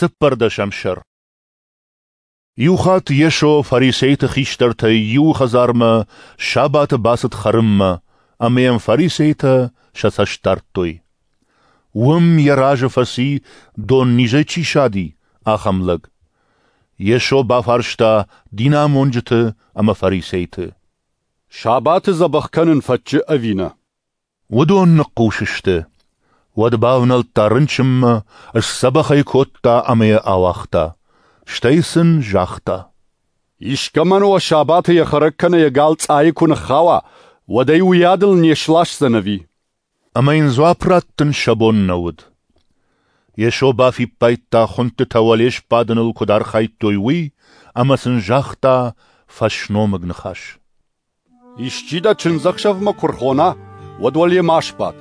14 сӕр. Иухатт Йесо фарисейты хистӕртӕй иуы хӕдзармӕ сабаты бацыд хӕрынмӕ, ӕмӕ йӕм фарисейтӕ сӕ цӕст дардтой. Уым йӕ разы фӕци, доннизӕй чи сади, ахӕм лӕг. Йесо бафарста динамонджыты ӕмӕ фарисейты: Сабаты дзӕбӕх кӕнын фӕтчы ӕви нӕ? Уыдон ныхъхъус сты. Уӕд бавнӕлдта рынчынмӕ, сдзӕбӕх ӕй кодта ӕмӕ йӕ ауагъта. Стӕй сын загъта: Искӕмӕн уӕ сабаты йӕ хӕрӕг кӕнӕ йӕ гал цъайы куы ныххауа, уӕд ӕй уыйадыл не сласдзӕн ӕви? Ӕмӕ йын дзуапп раттын сӕ бон нӕ уыд. Йесо бафиппайдта, хуындтытӕ уӕле сбадыныл куыд архайдтой, уый, ӕмӕ сын загъта фӕсномыг ныхас. Исчи дӕ чындзӕхсӕвмӕ куы рхона, уӕд уӕле ма сбад.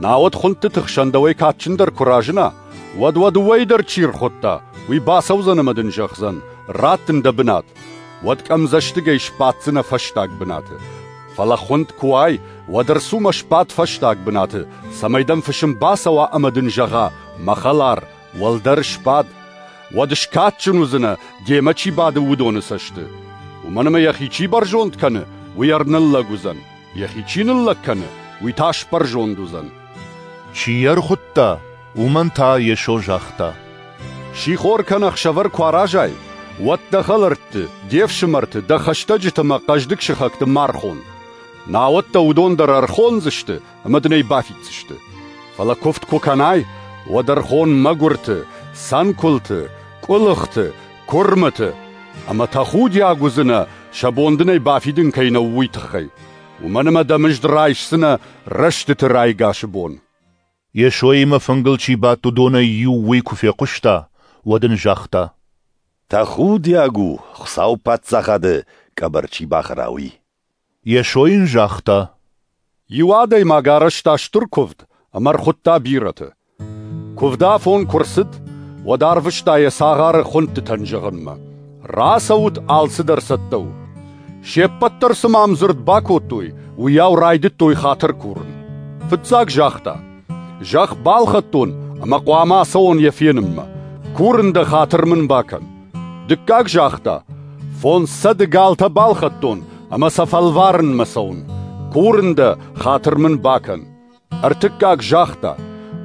Науӕд хуындтыты хсӕн дӕуӕй кадджындӕр куы разына, уӕд уӕ дыууӕйы дӕр чи рхуыдта, уый бацӕудзӕн ӕмӕ дын зӕгъдзӕн: ратт ын дӕ бынат. Уӕд къӕмдзӕстыгӕй сбаддзынӕ фӕстаг бынаты. Фӕлӕ хуынд куы уай, уӕд ӕрцу мӕ сбад фӕстаг бынаты, цӕмӕй дӕм фысым бацӕуа ӕмӕ дын зӕгъа: мӕ хӕлар, уӕлдӕр сбад. Уӕд скадджын уыдзынӕ, демӕ чи бады, уыдоны цӕсты. Уымӕн ӕмӕ йӕхи чи бӕрзонд кӕны, уый ӕрныллӕг уыдзӕн, йӕхи чи ныллӕг кӕны, уый та сбӕрзонд уыдзӕн. Чи йӕ ӕрхуыдта, уымӕн та Йесо загъта: Сихор кӕнӕ ӕхсӕвӕр куы аразай, уӕд дӕ хӕлӕртты, де фсымӕрты, дӕ хӕстӕджыты ӕмӕ хъӕздыг сыхӕгты ма рхон. Науӕд дӕ уыдон дӕр ӕрхондзысты ӕмӕ дын ӕй бафиддзысты. Фӕлӕ куывд куы кӕнай, уӕд ӕрхон мӕгуырты, цӕнкуылты, къуылыхты, куырмыты, ӕмӕ тӕхудиаг уыдзынӕ, сӕ бон дын ӕй бафидын кӕй нӕу, уый тыххӕй. Уымӕн ӕмӕ дӕ мызд райсдзынӕ рӕстыты райгасы бон. Йесоимӕ фынгыл чи бадт, уыдонӕй иу уый куы фехъуыста, уӕд ын загъта: Тӕхудиаг у, Хуыцауы паддзахады къӕбӕр чи бахӕра, уый. Йесо йын загъта: Иу адӕймаг арӕзта стыр куывд ӕмӕ ӕрхуыдта бирӕты. Куывды афон куы рцыд, уӕд арвыста йӕ цагъары хуындтытӕн зӕгъынмӕ: Рацӕут, алцыдӕр цӕттӕ у. Се ппӕт дӕр цыма ӕмдзырд бакодтой, уыйау райдыдтой хатыр курын. Фыццаг загъта: Зӕхх балхӕдтон ӕмӕ хъуамӕ ацӕуон йӕ фенынмӕ. Курын дӕ, хатыр мын бакӕн. Дыккаг загъта: 500 галтӕ балхӕдтон ӕмӕ сӕ фӕлварынмӕ цӕуын. Курын дӕ, хатыр мын бакӕн. Ӕртыккаг загъта: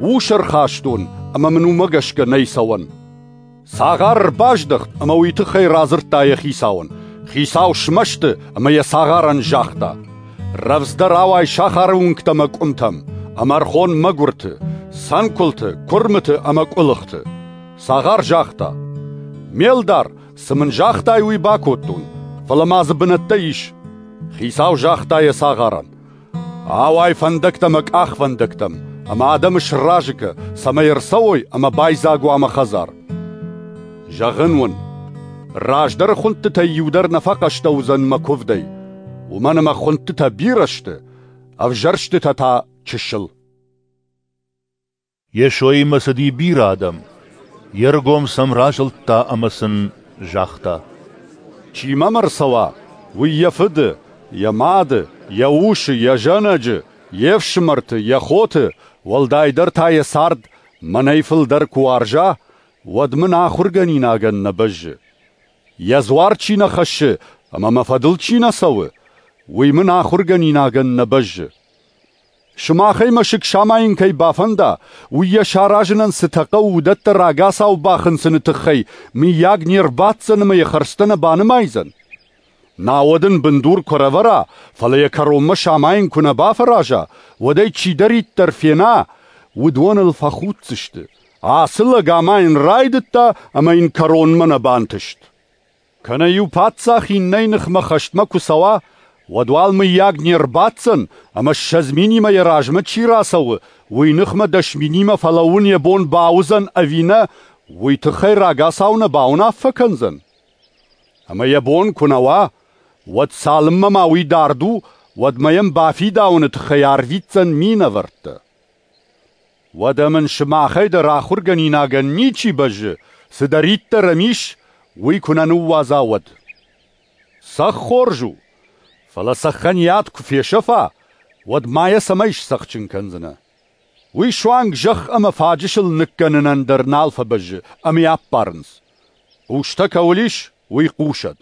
ус ӕрхастон ӕмӕ мын уымӕ гӕсгӕ нӕй цӕуӕн. Цагъар ӕрбаздӕхт ӕмӕ уый тыххӕй радзырдта йӕ хицауӕн. Хицау смӕсты ӕмӕ йӕ цагъарӕн загъта: рӕвдздӕр ауай сахары уынгтӕм ӕмӕ къуымтӕм, ӕмӕ ӕрхон мӕгуырты, цӕнкуылты, куырмыты ӕмӕ къуылыхты. Цагъар загъта: ме лдар, цы мын загътай, уый бакодтон, фӕлӕ ма дзы бынӕттӕ ис. Хицау загъта йӕ цагъарӕн: ауай фӕндӕгтӕм ӕмӕ къахвӕндӕгтӕм, ӕмӕ адӕмы сразы кӕ, цӕмӕй ӕрцӕуой ӕмӕ байдзаг уа мӕ хӕдзар. Зӕгъын уын, раздӕры хуындтытӕй иу дӕр нӕ фӕхъӕстӕ уыдзӕн мӕ куывдӕй, уымӕн ӕмӕ хуындтытӕ бирӕ сты, ӕвзӕрстытӕ та чысыл. Йесоимӕ цыди бирӕ адӕм. Йе ргом сӕм разылдта ӕмӕ сын загъта: Чи мӕм ӕрцӕуа, уый йӕ фыды, йӕ мады, йӕ усы, йӕ зӕнӕджы, йе фсымӕрты, йӕ хоты, уӕлдайдӕр та йӕ цард мӕнӕй фылдӕр куы уарза, уӕд мын ахуыргӕнинагӕн нӕ бӕззы. Йӕ дзуар чи нӕ хӕссы ӕмӕ мӕ фӕдыл чи нӕ цӕуы, уый мын ахуыргӕнинагӕн нӕ бӕззы. Сымахӕй мӕсыг самайын кӕй бафӕнда, уый йӕ саразынӕн цытӕ хъӕуы, уыдӕттӕ рагацау бахынцыны тыххӕй мыййаг не рбаддзӕн ӕмӕ йӕ хӕрзтӕ нӕ банымайдзӕн? Науӕд ын бындур куы ӕрӕвӕра, фӕлӕ йӕ кӕронмӕ самайын куы нӕ бафӕраза, уӕд ӕй чидӕриддӕр фена, уыдон ыл фӕхуддзысты. Ацы лӕг амайын райдыдта ӕмӕ йын кӕронмӕ нӕ бантыст. Кӕнӕ иу паддзах иннӕйы ныхмӕ хӕстмӕ куы цӕуа, уӕд уал мыййаг не рбаддзӕн, ӕмӕ 20 минимӕ йӕ размӕ чи рацӕуы, уый ныхмӕ 10 минимӕ фӕлӕууын йӕ бон бауыдзӕн ӕви нӕ, уый тыххӕй рагацау нӕ бауынаффӕ кӕндзӕн. Ӕмӕ йӕ бон куы нӕ уа, уӕд цалынмӕ ма уый дард у, уӕдмӕ йӕм бафидауыны тыххӕй арвитдзӕн минӕвӕрттӕ. Уӕдӕ мын сымахӕй дӕр ахуыргӕнинагӕн ничи бӕззы, цыдӕриддӕр ӕм ис, уый куы нӕ ныууадза, уӕд. Цӕхх хорз у, фӕлӕ цӕххӕн йӕ ад куы фесӕфа, уӕд ма йӕ цӕмӕй сцӕхджын кӕндзынӕ? Уый суанг зӕхх ӕмӕ фаджысыл ныккӕнынӕн дӕр нал фӕбӕззы ӕмӕ йӕ аппарынц. Хъустӕ кӕуыл ис, уый хъусӕд.